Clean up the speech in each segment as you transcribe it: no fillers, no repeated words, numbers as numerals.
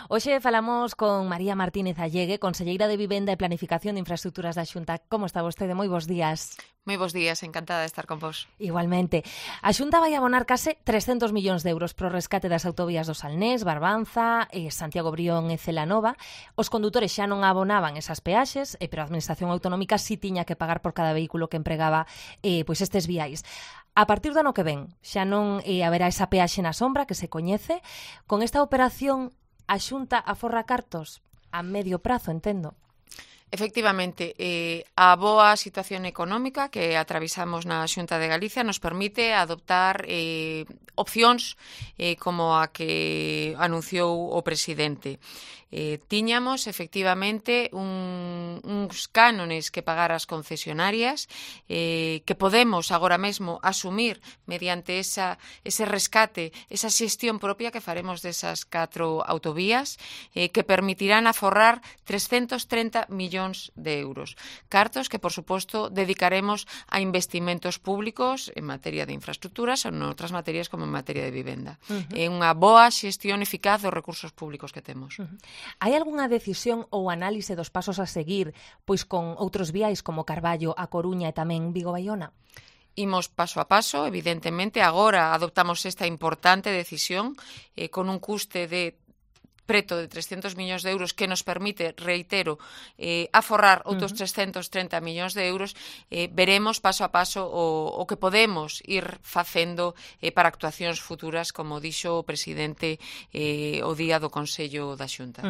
Hoxe falamos con María Martínez Allegue, conselleira de Vivenda e Planificación de Infraestructuras da Xunta. Como está vostede? Moi bons días. Moi bons días, encantada de estar con vos. Igualmente. A Xunta vai abonar case 300 millóns de euros pro rescate das autovías do Salnés, Barbanza, Santiago Brión e Celanova. Os condutores xa non abonaban esas peaxes, pero a Administración Autonómica si tiña que pagar por cada vehículo que empregaba pois estes viais. A partir do ano que ven, xa non haberá esa peaxe na sombra que se coñece. Con esta operación, a Xunta aforra cartos a medio prazo, entendo. Efectivamente, a boa situación económica que atravesamos na Xunta de Galicia nos permite adoptar opcións como a que anunciou o presidente. Tiñamos, efectivamente, uns cánones que pagar as concesionarias que podemos agora mesmo asumir mediante ese rescate, esa xestión propia que faremos desas 4 autovías que permitirán aforrar 330 millóns de euros. Cartos que, por suposto, dedicaremos a investimentos públicos en materia de infraestructuras ou en outras materias como en materia de vivenda. É unha boa xestión eficaz dos recursos públicos que temos. Hai algunha decisión ou análise dos pasos a seguir pois con outros viais como Carballo, A Coruña e tamén Vigo-Baiona? Imos paso a paso, evidentemente. Agora adoptamos esta importante decisión con un custe de preto de 300 millóns de euros que nos permite, reitero, aforrar outros 330 millóns de euros. Veremos paso a paso o que podemos ir facendo para actuacións futuras, como dixo o presidente o día do Consello da Xunta.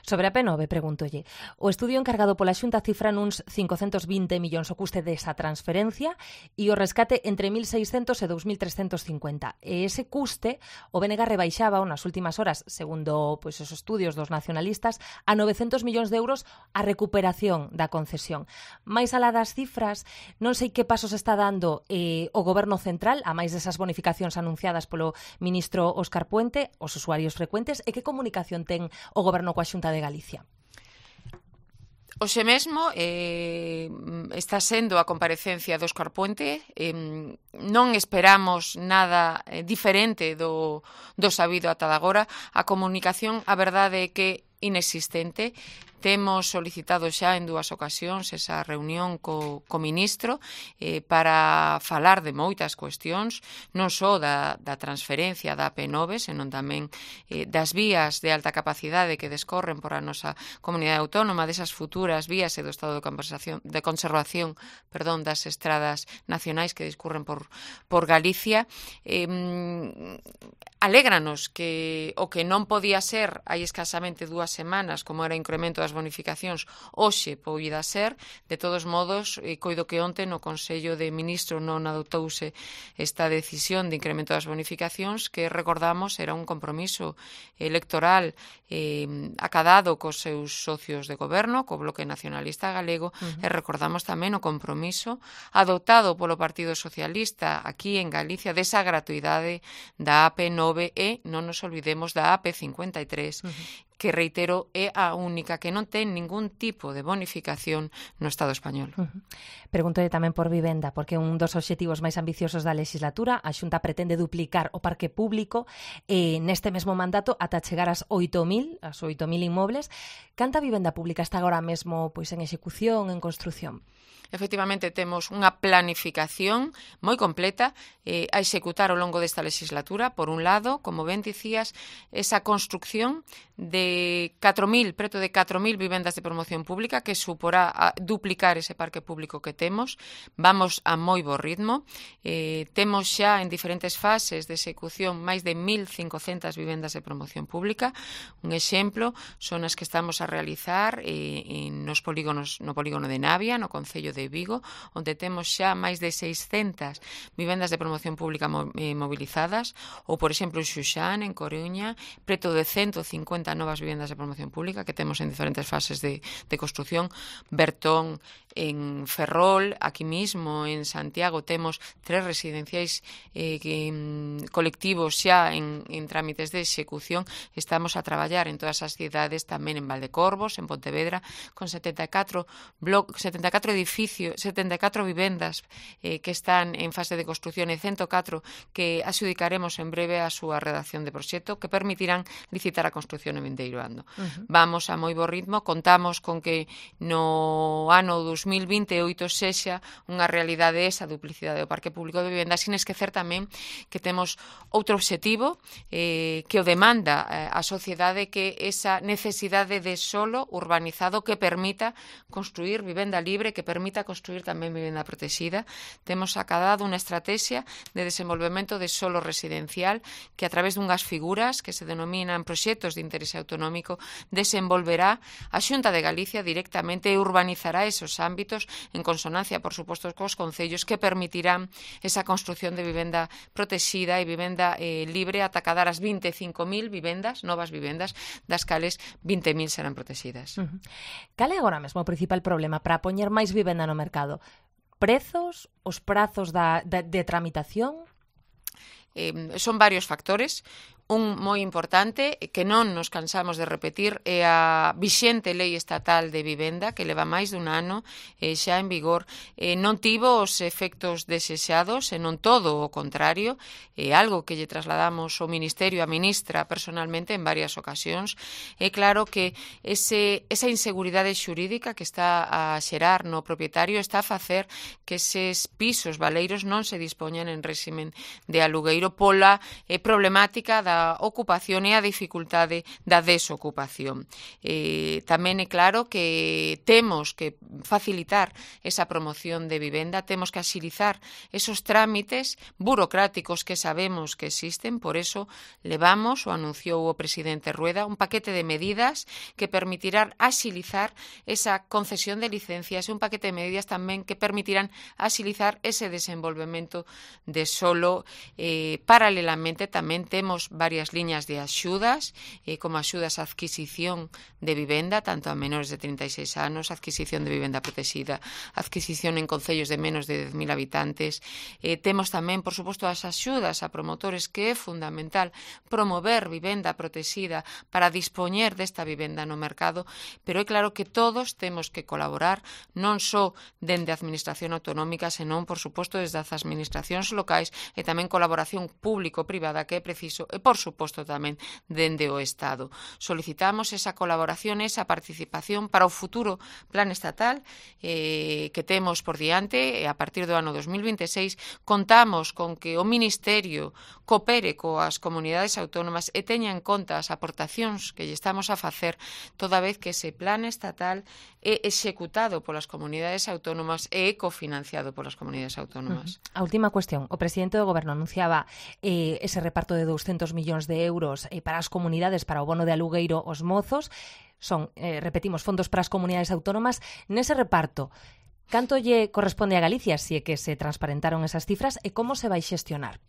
Sobre a P9, pregúntolle. O estudio encargado pola Xunta cifra nuns 520 millóns o custe desa transferencia e o rescate entre 1.600 e 2.350. E ese custe o BNG rebaixaba nas últimas horas, segundo esos estudios dos nacionalistas, a 900 millóns de euros a recuperación da concesión. Mais alá das cifras, non sei que pasos está dando o Goberno Central, a máis desas bonificacións anunciadas polo ministro Óscar Puente, os usuarios frecuentes, e que comunicación ten o Goberno coa Xunta de Galicia? Hoxe mesmo está sendo a comparecencia do Óscar Puente. Non esperamos nada diferente do sabido ata agora. A comunicación, a verdade é que inexistente. Temos solicitado xa en 2 ocasións esa reunión co ministro para falar de moitas cuestións, non só da transferencia da AP9, senón tamén das vías de alta capacidade que descorren por a nosa comunidade autónoma, desas futuras vías e do estado de conservación das estradas nacionais que discurren por Galicia. Alégranos que o que non podía ser hai escasamente 2 semanas, como era o incremento das bonificacións, hoxe poida ser. De todos modos, coido que onte no Consello de Ministros non adoptouse esta decisión de incremento das bonificacións, que recordamos era un compromiso electoral acadado cos seus socios de goberno, co Bloque Nacionalista Galego, e recordamos tamén o compromiso adoptado polo Partido Socialista aquí en Galicia desa gratuidade da AP9 e non nos olvidemos da AP53, que, reitero, é a única que non ten ningún tipo de bonificación no Estado español. Pregúntole tamén por vivenda, porque un dos obxectivos máis ambiciosos da legislatura, a Xunta pretende duplicar o parque público neste mesmo mandato ata chegar ás 8.000 inmobles. Canta vivenda pública está agora mesmo en execución, en construción? Efectivamente, temos unha planificación moi completa a executar ao longo desta legislatura. Por un lado, como ben dicías, esa construcción de 4.000, preto de 4.000 vivendas de promoción pública, que suporá a duplicar ese parque público que temos. Vamos a moi bo ritmo. Temos xa en diferentes fases de execución máis de 1.500 vivendas de promoción pública. Un exemplo son as que estamos a realizar no polígono de Navia, no Concello de Vigo, onde temos xa máis de 600 vivendas de promoción pública movilizadas, ou, por exemplo, en Xuxán, en Coruña, preto de 150 novas vivendas de promoción pública que temos en diferentes fases de construción. Bertón, en Ferrol, aquí mismo, en Santiago, temos 3 residenciais colectivos xa en trámites de execución. Estamos a traballar en todas as cidades, tamén en Valdecorvos, en Pontevedra, con 74 edificios 74 vivendas que están en fase de construción e 104 que adxudicaremos en breve a súa redacción de proxecto que permitirán licitar a construción en vindeiro ano. Vamos a moi bo ritmo, contamos con que no ano 2028 sexa unha realidade esa duplicidade do parque público de vivenda, sin esquecer tamén que temos outro obxectivo que o demanda a sociedade, que esa necesidade de solo urbanizado que permita construir vivenda libre, que permita construir tamén vivenda protegida. Temos acadado unha estrategia de desenvolvemento de solo residencial que a través dunhas figuras que se denominan proxectos de interese autonómico desenvolverá a Xunta de Galicia directamente e urbanizará esos ámbitos en consonancia, por suposto, cos concellos que permitirán esa construción de vivenda protegida e vivenda libre ata cadar as 25.000 vivendas, novas vivendas, das cales 20.000 serán protegidas. Cal é agora mesmo o principal problema para poñer máis vivenda no mercado? Prezos? Os prazos de tramitación? Son varios factores. Un moi importante que non nos cansamos de repetir é a vixente lei estatal de vivenda que leva máis dun ano xa en vigor. Non tivo os efectos desexados, e non todo o contrario, é algo que lle trasladamos ao Ministerio, a ministra personalmente en varias ocasións. É claro que esa inseguridade xurídica que está a xerar no propietario está a facer que eses pisos baleiros non se dispoñan en réximen de alugueiro pola problemática da ocupación e a dificultade da desocupación. Tamén é claro que temos que facilitar esa promoción de vivenda, temos que axilizar esos trámites burocráticos que sabemos que existen, por eso levamos, o anunciou o presidente Rueda, un paquete de medidas que permitirán axilizar esa concesión de licencias e un paquete de medidas tamén que permitirán axilizar ese desenvolvemento de solo. Paralelamente tamén temos varias liñas de axudas, como axudas a adquisición de vivenda, tanto a menores de 36 anos, adquisición de vivenda protegida, adquisición en concellos de menos de 10.000 habitantes. Temos tamén, por suposto, as axudas a promotores, que é fundamental promover vivenda protegida para dispoñer desta vivenda no mercado, pero é claro que todos temos que colaborar, non só dende a administración autonómica, senón, por suposto, desde as administracións locais e tamén colaboración público-privada que é preciso, e, por suposto, tamén dende o Estado. Solicitamos esa colaboración, esa participación para o futuro plan estatal que temos por diante, e a partir do ano 2026 contamos con que o Ministerio coopere coas comunidades autónomas e teña en conta as aportacións que lle estamos a facer, toda vez que ese plan estatal é executado polas comunidades autónomas e é cofinanciado polas comunidades autónomas. A última cuestión. O presidente do Goberno anunciaba ese reparto de 200 millóns de euros para as comunidades, para o bono de alugueiro aos mozos. Son, repetimos, fondos para as comunidades autónomas. Nese reparto, canto lle corresponde a Galicia, se é que se transparentaron esas cifras, e como se vai xestionar?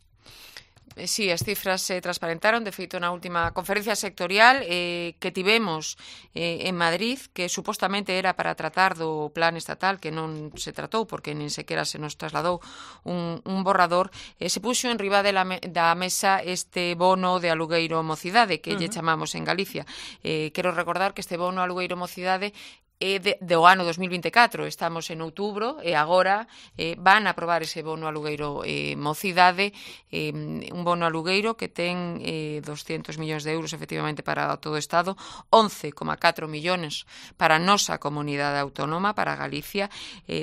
Sí, as cifras se transparentaron, de feito, na última conferencia sectorial que tivemos en Madrid, que supostamente era para tratar do plan estatal, que non se tratou, porque nin sequera se nos trasladou un borrador. Se puxo en riba da mesa este bono de alugueiro mocidade, que lle chamamos en Galicia. Quero recordar que este bono alugueiro mocidade do ano 2024, estamos en outubro e agora van a aprobar ese bono alugueiro mocidade, un bono alugueiro que ten 200 millóns de euros efectivamente para todo o Estado, 11,4 millóns para a nosa comunidade autónoma, para Galicia,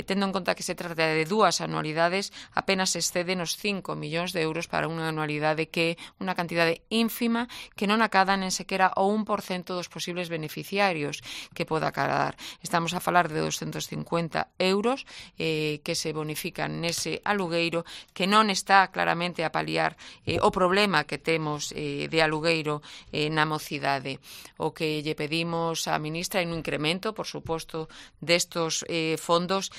tendo en conta que se trata de dúas anualidades, apenas exceden os 5 millóns de euros para unha anualidade que é unha cantidade ínfima que non acadan en sequera o 1% dos posibles beneficiarios que poda acadar. Estamos a falar de 250 euros que se bonifican nese alugueiro, que non está claramente a paliar o problema que temos de alugueiro na mocidade. O que lle pedimos á ministra é un incremento, por suposto, destos fondos,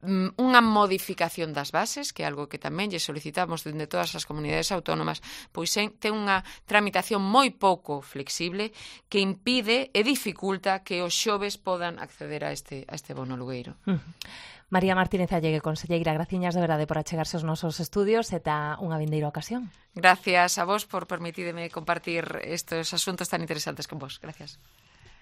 unha modificación das bases, que é algo que tamén lle solicitamos dende todas as comunidades autónomas, pois ten unha tramitación moi pouco flexible que impide e dificulta que os xoves podan acceder a este bono alugueiro. María Martínez Allegue, conselleira, graciñas de verdade por achegarse aos nosos estudios e ta unha vindeira ocasión. Gracias a vos por permitirme compartir estes asuntos tan interesantes con vos. Gracias.